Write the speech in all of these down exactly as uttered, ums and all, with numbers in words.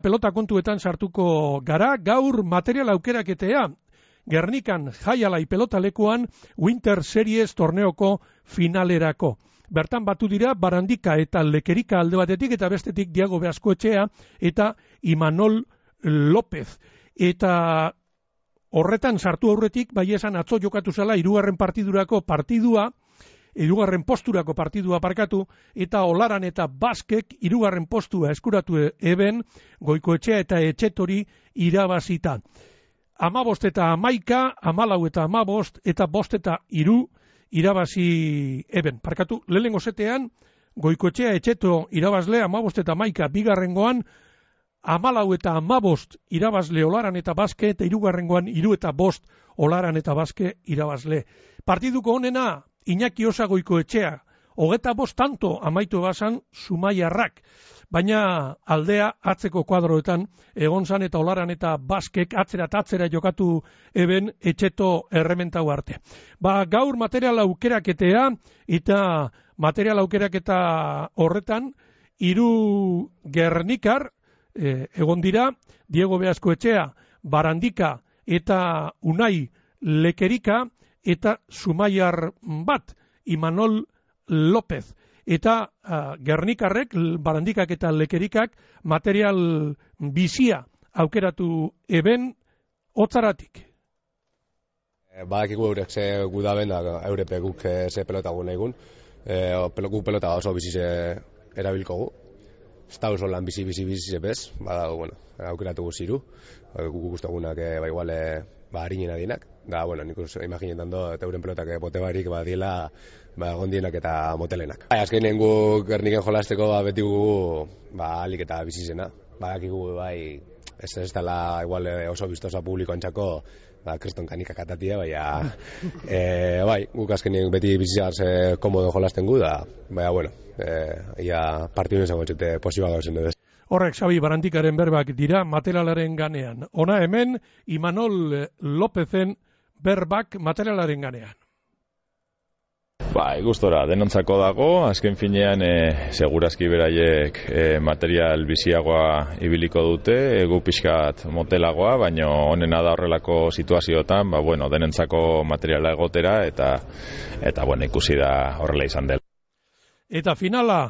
Pelota kontuetan sartuko gara, gaur material aukeraketea, Gernikan jaialai pelotalekuan Winter Series torneoko finalerako. Bertan batu dira Barandika eta Lekerika alde batetik eta bestetik Diago Beaskoetxea eta Imanol López. Eta horretan sartu aurretik, bai esan atzo jokatu zela hirugarren partidurako partidua, hirugarren posturako partidua parkatu, eta Olaran eta Baskek hirugarren postua eskuratu eben Goikoetxea eta Etxetori irabazita. Amabost eta amaika, amalau eta amabost, eta bost eta iru irabazi eben. Parkatu, lehenengo zetean, Goikoetxea Etxeto irabazle, amabost eta amaika, bigarrengoan, amalau eta amabost irabazle Olaran eta Baske, eta hirugarrengoan iru eta bost Olaran eta Baske irabazle. Partiduko honena, Iñaki Osa Goikoetxea, hogeta bost tanto amaitu bazan Zumaiarrak, baina aldea atzeko kuadroetan egon zan eta Olaran eta Baskek atzera eta atzera jokatu eben Etxeto errementau arte. Ba, gaur material aukeraketea eta material aukeraketa horretan hiru Gernikar eh, egon dira, Diego Beaskoetxea, Barandika eta Unai Lekerika, eta Zumaiar bat, Imanol López. Eta uh, Gernikarrek, Barandikak eta Lekerikak material bizia aukeratu eben hotzaratik. Badakigu eurek ze gudaben, eurepe guk ze pelota gu nahi gun. E, guk pelota oso bizize erabilkogu. Ez da oso lan bizi-bizi-bizi bez, bada, bueno, aukeratu guziru. Guk guztagunak, ba, igual, ba, harinena dienak. Da, bueno, nik us imaginetan do, eta euren pelotak bote barik, ba, diela, ba, gondienak eta motelenak. Bai, azkenean gu Gerniken jolasteko, ba, beti gu, ba, alik eta bizizena. Badakigu, bai, ez ez dela, igual, oso biztosa publiko antxako, ba, kriston kanikak atatia, baina, e, bai, guk azkenean beti bizizaz e, komodo jolasten gu, da, baina, bueno, e, ia partidun esango txete posiba gauzen dut. Horrek Xabi Barandikaren berbak dira materialaren ganean. Ona hemen Imanol Lópezen berbak materialaren ganean. Bai, gustora, denontzako dago, azken finean e, segurazki beraiek e, material biziagoa ibiliko dute, egu pixkat motelagoa, baina honena da horrelako situazioetan, ba, bueno, denentzako materiala egotera, eta, eta bueno, ikusi da horrela izan dela. Eta finala,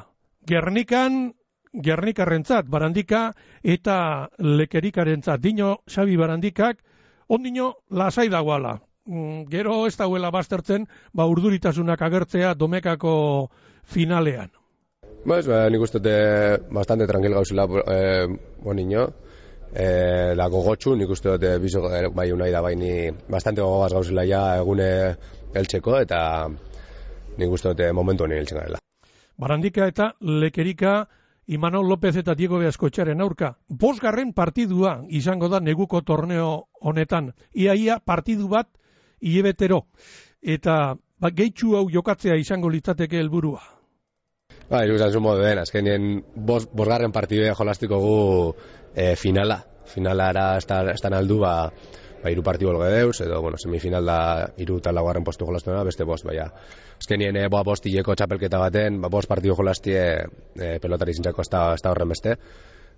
Gernikan, Gernikarrentzat, Barandika eta Lekerikarentzat, dino Xabi Barandikak, ondino lasai dagoala. Gero ez dauela baztertzen, ba urduritasunak agertzea Domekako finalean. Pues, ba, nik uste bastante tranquil gauzela eh, bonino, eh, da gogotxu, nik uste dute bizo bai unai da baini bastante gogaz gauzela ja egune heltzeko, eta nik uste dute momentu honi heltzen garela. Barandika eta Lekerika, Imanol López eta Diego Beaskoetxearen aurka. Bosgarren partidua izango da neguko torneo honetan. Iaia partidu bat hilebetero. Eta ba, gehitxu hau jokatzea izango litzateke helburua. Ba, iruzan zu modu den, azkenien bos, bosgarren partidua jolastiko gu e, finala. Finala era estan aldu, ba, ba iru partidu olge deuz, edo, bueno, semifinal da iru eta laugarren postu jolastuena, beste bost, baina. Azkenien, e, boa bostileko txapelketa baten, ba, bost partidu jolastie e, pelotari zintzako ez da horren beste.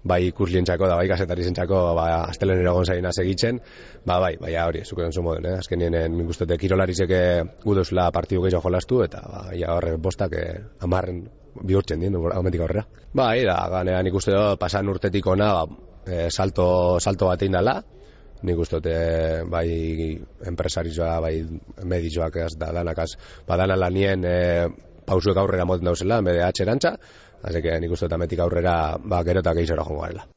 Bai ikuslientzako da bai kazetari zentzako ba astelenera egon zaina segitzen, ba bai, baina hori, zuko den zu moden, eh? Azkenien nik uste dut kirolarizeke guduzla partidu gehiago jolastu eta ba ja horre bostak hamarren bihurtzen dien aumentik aurrera. Bai, da ganean nik uste dut pasan urtetik ona ba, e, salto salto bat egin dela. Nik uste dut bai enpresarioa, bai medioak ez da danakaz, badana lanien e, pausuek aurrera moten dauzela, en bede atxerantza. Así que nik uste tametik aurrera ba gero eta gehiago joango garela.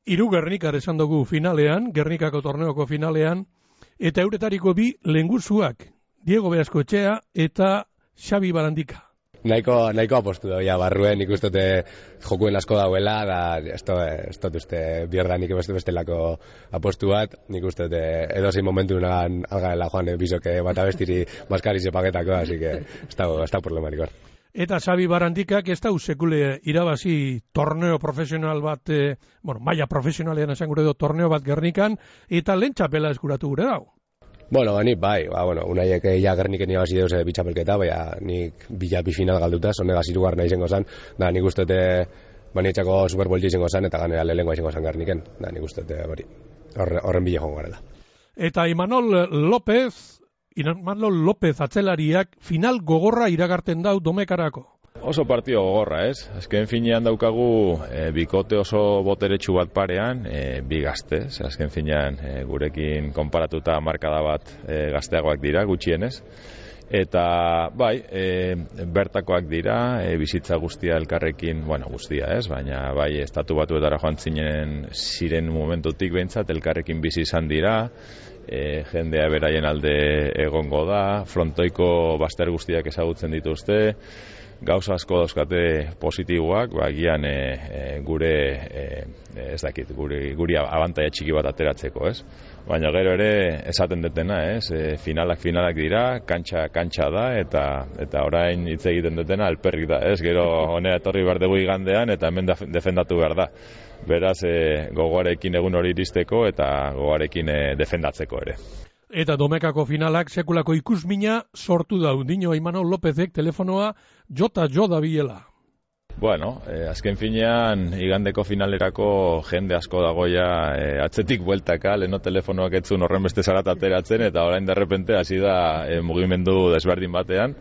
Hiru Gernikar esan dugu finalean, Gernikako torneoko finalean, eta euretariko bi lenguzuak, Diego Beaskoetxea eta Xabi Barandika. Nahiko, nahiko apostu da, ja, barruen nik uste jokuen asko dauela, da, ez dut uste bierdanik beste bestelako apostu bat, nik uste edozein momentu nagan algaela joan bizoke bat abestiri maskarize paketako, así que ez da problemarik hor. Eta Xabi Barandikak ez dau sekule irabazi torneo profesional bat, eh, bueno, maila profesionalean esan gure do torneo bat Gernikan, eta lehen txapela eskuratu gure dau. Bueno, nik bai, ba, bueno, unaiek ja Gerniken irabazi deuz bitxapelketa, baina nik bila bi final galduta, zonegaz irugarna izango zen, da nik uste banietxako Superbolti izango zen, eta ganera lehenko izango zen Gerniken, da nik uste hori horren bile jongo garela. Eta Imanol López, Imanol López atzelariak final gogorra iragarten dau Domekarako. Oso partio gogorra, ez? Azken finean daukagu e, bikote oso boteretsu bat parean, e, bi gazte, ez? Azken finean e, gurekin konparatuta markada bat e, gazteagoak dira, gutxienez. Eta, bai, e, bertakoak dira, e, bizitza guztia elkarrekin, bueno, guztia, ez? Baina, bai, estatu batuetara joan zinen ziren momentutik behintzat, elkarrekin bizi izan dira, e, jendea beraien alde egongo da, frontoiko bazter guztiak ezagutzen dituzte, gauza asko dauzkate positiboak, ba, gian e, e, gure, e, ez dakit, guri, guri abantaia txiki bat ateratzeko, ez? Baina gero ere esaten detena, ez? E, finalak finalak dira, kantxa kantxa da, eta eta orain hitz egiten detena alperrik da, ez? Gero honea etorri behar dugu igandean, eta hemen defendatu behar da. Beraz, e, gogoarekin egun hori iristeko, eta gogoarekin e, defendatzeko ere. Eta Domekako finalak sekulako ikusmina sortu dau. Dino Imanol Lópezek telefonoa jota jo dabilela. Bueno, eh, azken finean igandeko finalerako jende asko dagoia eh, atzetik bueltaka, leno telefonoak etzun horren beste zarat ateratzen, eta orain derrepente hasi da eh, mugimendu desberdin batean.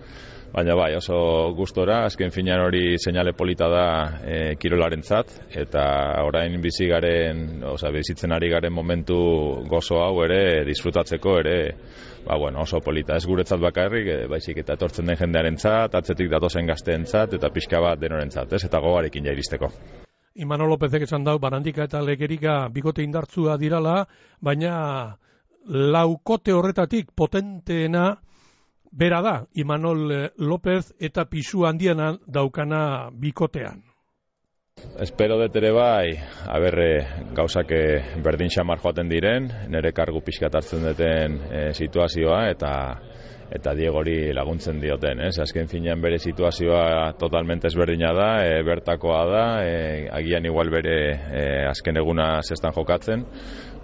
Baina bai, oso gustora, azken finean hori seinale polita da e, kirolarentzat, eta orain bizi garen, oza, bizitzen ari garen momentu gozo hau ere, disfrutatzeko ere, ba, bueno, oso polita. Ez guretzat bakarrik, e, baizik eta etortzen den jendearentzat, atzetik datozen gazteentzat, eta pixka bat denorentzat, ez, eta gogarekin jairisteko. Imanol Lópezek esan dau, Barandika eta Legerika bikote indartzua dirala, baina laukote horretatik potenteena bera da, Imanol López eta pisu handiena daukana bikotean. Espero dut ere bai, aberre gauzak berdin xamar joaten diren, nire kargu pixkat hartzen duten e, situazioa, eta eta Diegori laguntzen dioten, ez? Azken finean bere situazioa totalmente ezberdina da, e, bertakoa da, e, agian igual bere e, azken eguna zestan jokatzen.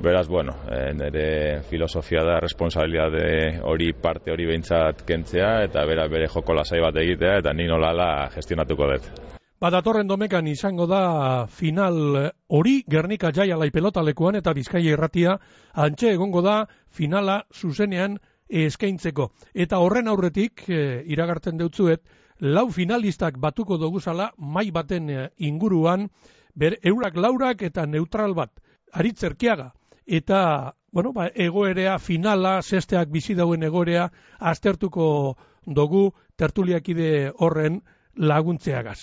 Beraz, bueno, e, nire filosofia da responsabilitate hori parte hori behintzat kentzea, eta bera bere joko lasai bat egitea, eta ni nolala gestionatuko dut. Badatorren Domekan izango da final hori Gernika Jaialai pelotalekuan, eta Bizkaia irratia antxe egongo da finala zuzenean eskaintzeko. Eta horren aurretik, e, iragartzen deutzuet, lau finalistak batuko doguzala mai baten e, inguruan, ber, eurak laurak eta neutral bat, Aritzerkiaga. Eta, bueno, ba, egoerea, finala, zesteak bizi dauen egoerea, aztertuko dugu tertuliakide horren laguntzeagaz.